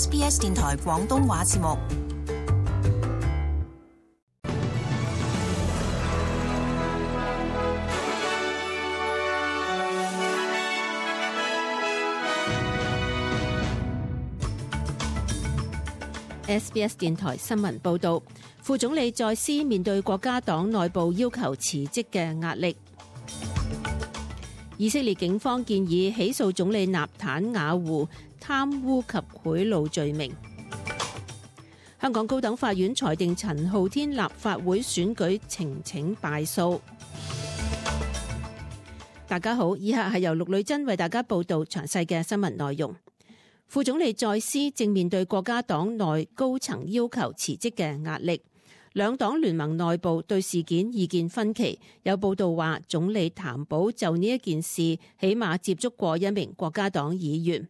SBS 電台廣東話節目。SBS 電台新聞報導，副總理再斯面對國家黨內部要求辭職嘅壓力。以色列警方建議起訴總理納坦雅胡貪污及賄賂罪名。香港高等法院裁定陳浩天立法會選舉呈請敗訴。大家好，以下係由陸女珍為大家報導詳細嘅新聞內容。副總理再斯正面對國家黨內高層要求辭職嘅壓力，兩黨聯盟內部對事件意見分歧。有報道話，總理譚寶就呢一件事起碼接觸過一名國家黨議員。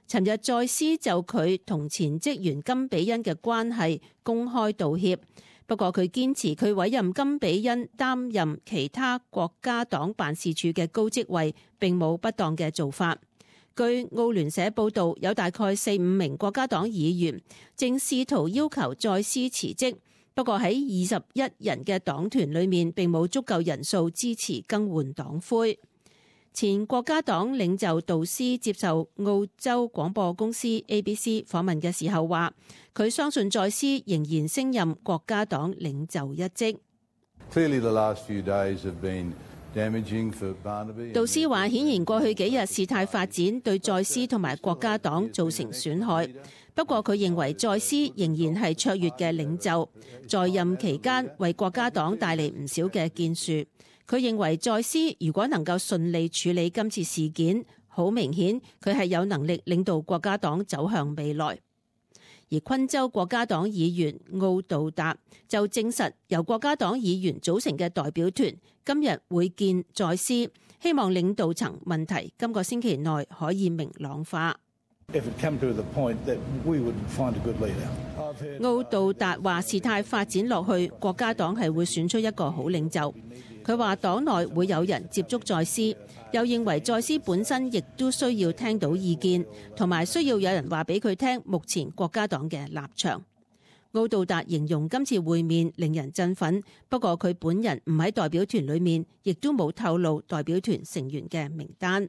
尋日再斯就佢同前職員金比恩嘅關係公開道歉，不過佢堅持佢委任金比恩擔任其他國家黨辦事處嘅高職位並冇不當嘅做法。據澳聯社報導，有大概4-5名國家黨議員正試圖要求再斯辭職，不過喺21人嘅黨團裏面並冇足夠人數支持更換黨魁。前國家黨領袖杜斯接受澳洲廣播公司 ABC 訪問嘅時候話，佢相信再斯仍然升任國家黨領袖一職。杜斯話，顯然過去幾日事態發展對再斯同埋國家黨造成損害，不過佢認為再斯仍然係卓越嘅領袖，在任期間為國家黨帶嚟唔少嘅建樹。佢認為再斯如果能夠順利處理今次事件，好明顯佢係有能力領導國家黨走向未來。而昆州國家黨議員奧杜達就證實，由國家黨議員組成嘅代表團今日會見再斯，希望領導層問題今個星期內可以明朗化。奧杜達話，事態發展落去，國家黨係會選出一個好領袖。佢話黨內會有人接觸再斯，又認為再斯本身亦都需要聽到意見，同埋需要有人話俾佢聽目前國家黨嘅立場。奧杜達形容今次會面令人振奮，不過佢本人唔喺代表團裏面，亦都冇透露代表團成員嘅名單。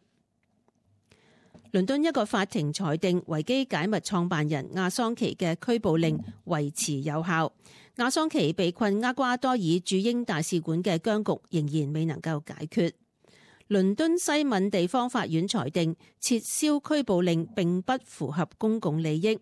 倫敦一個法庭裁定維基解密創辦人亞桑奇嘅拘捕令維持有效。亞桑奇被困厄瓜多爾駐英大使館嘅僵局仍然未能夠解決。倫敦西敏地方法院裁定撤銷拘捕令並不符合公共利益。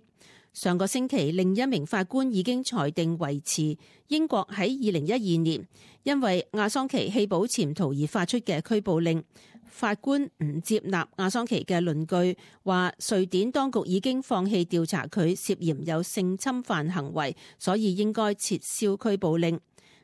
上個星期，另一名法官已經裁定維持英國喺2012年因為亞桑奇棄保潛逃而發出嘅拘捕令。法官唔接納亞桑奇嘅論據，話瑞典當局已經放棄調查佢涉嫌有性侵犯行為，所以應該撤銷拘捕令。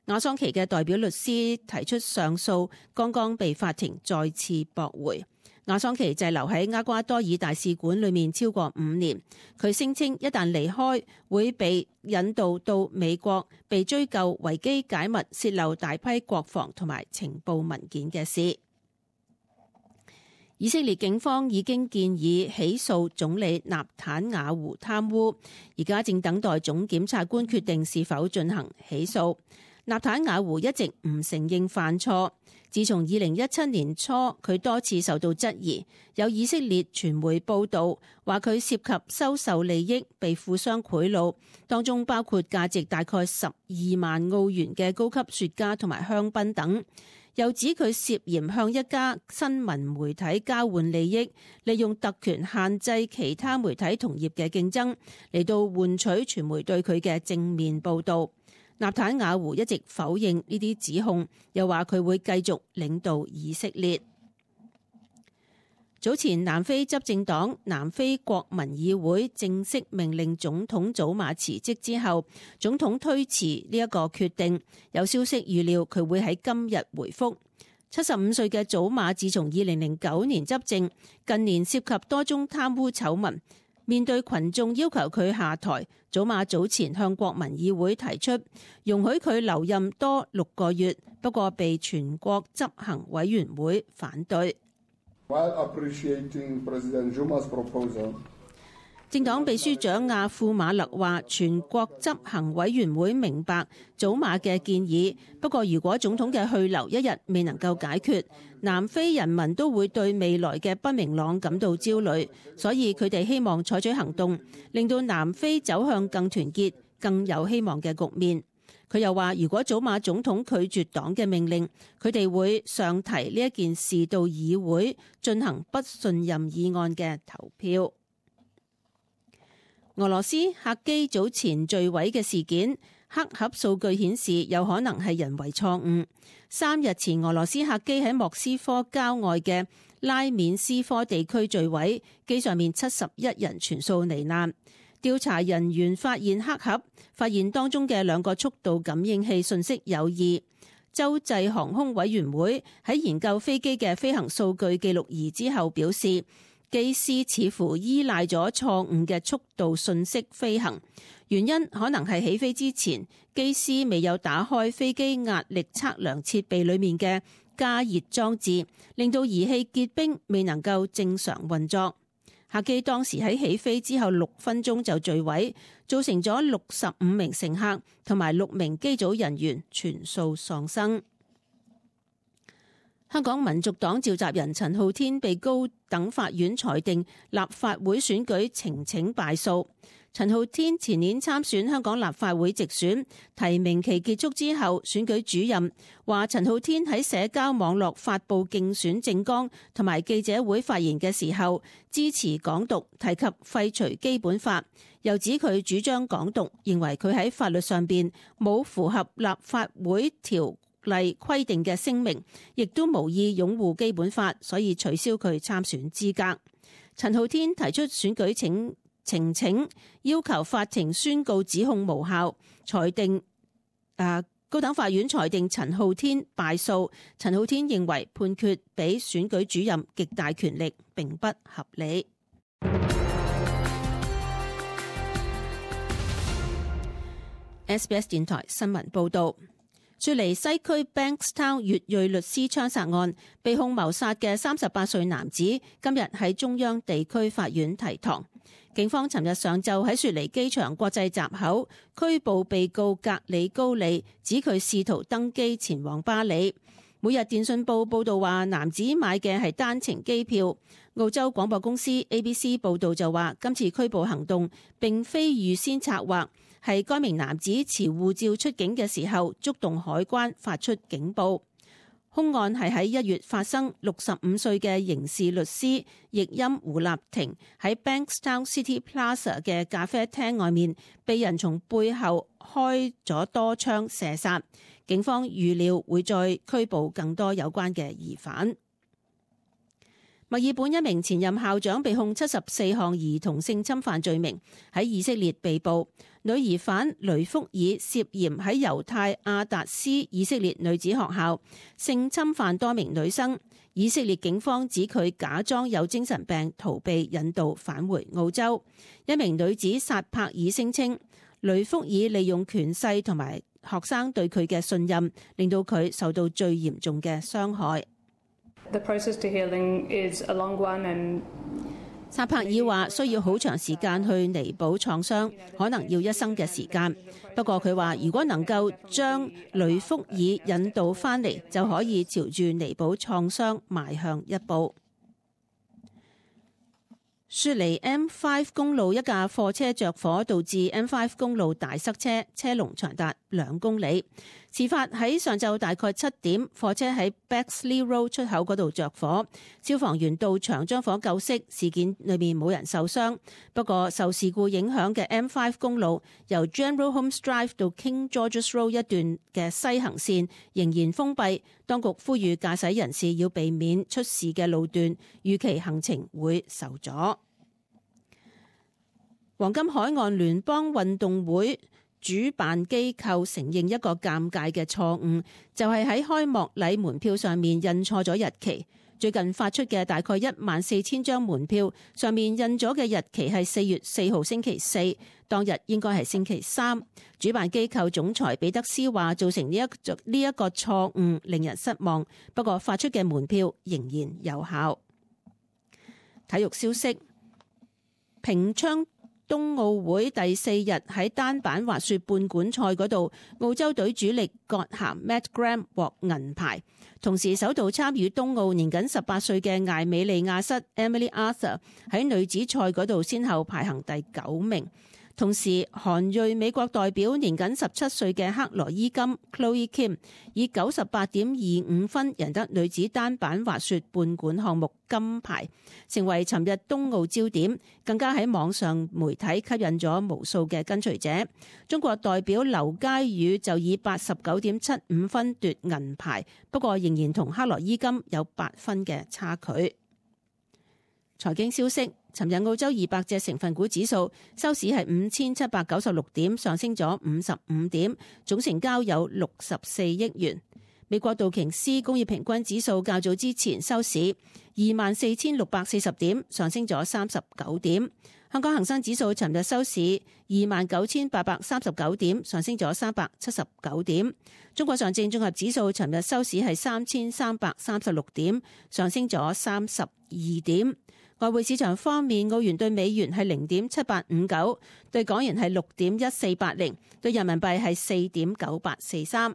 亞桑奇嘅代表律師提出上訴，剛剛被法庭再次駁回。亞桑奇滯留喺厄瓜多爾大使館裏面超過5年，佢聲稱一旦離開會被引渡到美國，被追究維基解密洩漏大批國防同埋情報文件嘅事。以色列警方已經建議起訴總理納坦雅胡貪污，而家正等待總檢察官決定是否進行起訴。納坦雅胡一直唔承認犯錯，自從2017年初，佢多次受到質疑。有以色列傳媒報道話佢涉及收受利益，被富商賄賂，當中包括價值大概12萬澳元嘅高級雪茄同埋香檳等。又指佢涉嫌向一家新聞媒體交換利益，利用特權限制其他媒體同業嘅競爭，嚟到換取傳媒對佢嘅正面報導。納坦雅胡一直否認呢啲指控，又話佢會繼續領導以色列。早前南非執政黨南非國民議會正式命令總統祖馬辭職之後，總統推遲呢一個決定。有消息預料佢會喺今日回覆。75歲嘅祖馬自從2009年執政，近年涉及多宗貪污醜聞。面對群眾要求佢下台，祖馬早前向國民議會提出容許佢留任多6個月，不過被全國執行委員會反對。政黨秘書長亞庫馬勒話，全國執行委員會明白祖馬嘅建議，不過如果總統嘅去留一日未能夠解決，南非人民都會對未來嘅不明朗感到焦慮，所以佢哋希望採取行動，令到南非走向更團結、更有希望嘅局面。佢又話，如果祖馬總統拒絕黨嘅命令，佢哋會上提呢一件事到議會進行不信任議案嘅投票。俄羅斯客機早前墜毀嘅事件，黑盒數據顯示有可能係人為錯誤。3日前，俄羅斯客機喺莫斯科郊外嘅拉緬斯科地區墜毀，機上面71人全數罹難。調查人員發現黑盒，發現當中嘅2個速度感應器信息有異。洲際航空委員會喺研究飛機嘅飛行數據記錄儀之後表示，機師似乎依賴咗錯誤嘅速度信息飛行，原因可能係起飛之前，機師未有打開飛機壓力測量設備裡面嘅加熱裝置，令到儀器結冰，未能夠正常運作。客機當時喺起飛之後6分鐘就墜毀，造成咗65名乘客同埋6名機組人員全數喪生。香港民族黨召集人陳浩天被高等法院裁定立法會選舉呈請敗訴。陳浩天前年參選香港立法會直選，提名期結束之後，選舉主任話陳浩天喺社交網絡發布競選政綱同埋記者會發言嘅時候，支持港獨，提及廢除基本法，又指佢主張港獨，認為佢喺法律上邊冇符合立法會條例規定嘅聲明，亦都無意擁護基本法，所以取消佢參選資格。陳浩天提出選舉呈請，要求法庭宣告指控無效，高等法院裁定陳浩天敗訴。陳浩天認為判決俾選舉主任極大權力，並不合理。SBS 電台新聞報道。雪梨西區 Bankstown 越裔律師槍殺案，被控謀殺嘅38歲男子今日喺中央地區法院提堂。警方尋日上晝喺雪梨機場國際閘口拘捕被告格里高利，指佢試圖登機前往巴里。每日電訊報報道話，男子買嘅係單程機票。澳洲廣播公司 ABC 報道就話，今次拘捕行動並非預先策劃，係該名男子持護照出境嘅時候觸動海關發出警報。兇案係喺1月發生，65歲嘅刑事律師譯音胡立庭喺 Bankstown City Plaza 嘅咖啡廳外面被人從背後開咗多槍射殺。警方預料會再拘捕更多有關嘅疑犯。墨爾本一名前任校長被控74項兒童性侵犯罪名，喺以色列被捕。女疑犯雷福爾涉嫌喺猶太亞達斯以色列女子學校性侵犯多名女生。以色列警方指佢假裝有精神病，逃避引渡返回澳洲。一名女子薩帕爾聲稱，雷福爾利用權勢同埋學生對佢嘅信任，令到佢受到最嚴重嘅傷害。The process to healing is a long one and薩帕爾話需要好長時間去彌補創傷，可能要一生嘅時間。不過佢話，如果能夠將雷福爾引導返嚟，就可以朝住彌補創傷邁向一步。雪梨 M5 公路一架貨車着火，導致 M5 公路大塞車，車龍長達2公里。事發喺上晝大概7點，貨車喺 Bexley Road 出口嗰度着火，消防員到場將火救熄，事件裏面冇人受傷。不過受事故影響嘅 M5 公路由 General Holmes Drive 到 King George's Road 一段嘅西行線仍然封閉，當局呼籲駕駛人士要避免出事嘅路段，預期行程會受阻。黃金海岸聯邦運動會主辦機構承認一個尷尬嘅錯誤，就係喺開幕禮門票上面印錯咗日期。最近發出嘅大概14000張門票上面印咗嘅日期係4月4號星期四，當日應該係星期三。主辦機構總裁彼得斯話，造成呢一個錯誤令人失望，不過發出嘅門票仍然有效。體育消息，平昌冬奧會第4日喺單板滑雪半管賽嗰度，澳洲隊主力葛咸 Matt Graham 獲銀牌。同時首度參與冬奧年僅18歲嘅艾美利亞瑟 Emily Arthur 喺女子賽嗰度先後排行第9名。同時韓裔美國代表年僅17歲嘅克羅伊金 Chloe Kim 以 98.25 分贏得女子單板滑雪半管項目金牌，成為尋日冬奧焦點，更加喺網上媒體吸引咗無數嘅跟隨者。中國代表劉佳宇就以 89.75 分奪銀牌，不過仍然同克羅伊金有8分嘅差距。財經消息，尋日澳洲200隻成分股指數收市係5796點，上升咗55點，總成交有64億元。美國道瓊斯工業平均指數較早之前收市24,640點，上升咗39點。香港恒生指數尋日收市29,839點，上升咗379點。中國上證綜合指數尋日收市係3,336點，上升咗32點。外匯市場方面，澳元對美元係0.7859，對港元係6.1480，對人民幣係4.9843。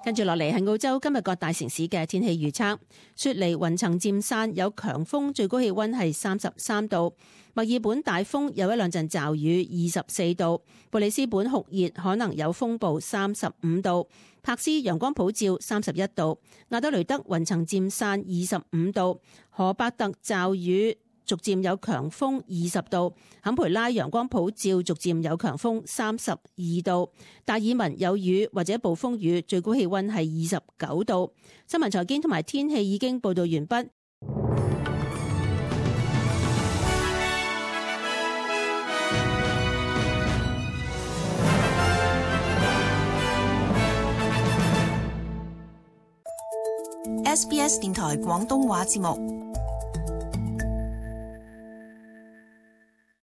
跟住落嚟係澳洲今日各大城市嘅天氣預測。雪梨雲層漸散，有強風，最高氣溫係33度。墨爾本大風，有一兩陣驟雨，24度。布里斯本酷熱，可能有風暴，35度。柏斯陽光普照，31度。亞德雷德雲層漸散，25度。荷伯特驟雨，逐漸有強風，20度。坎培拉陽光普照，逐漸有強風，32度。達爾文有雨或者暴風雨，最高氣溫係29度。新聞財經同埋天氣已經報道完畢。SBS 電台廣東話節目。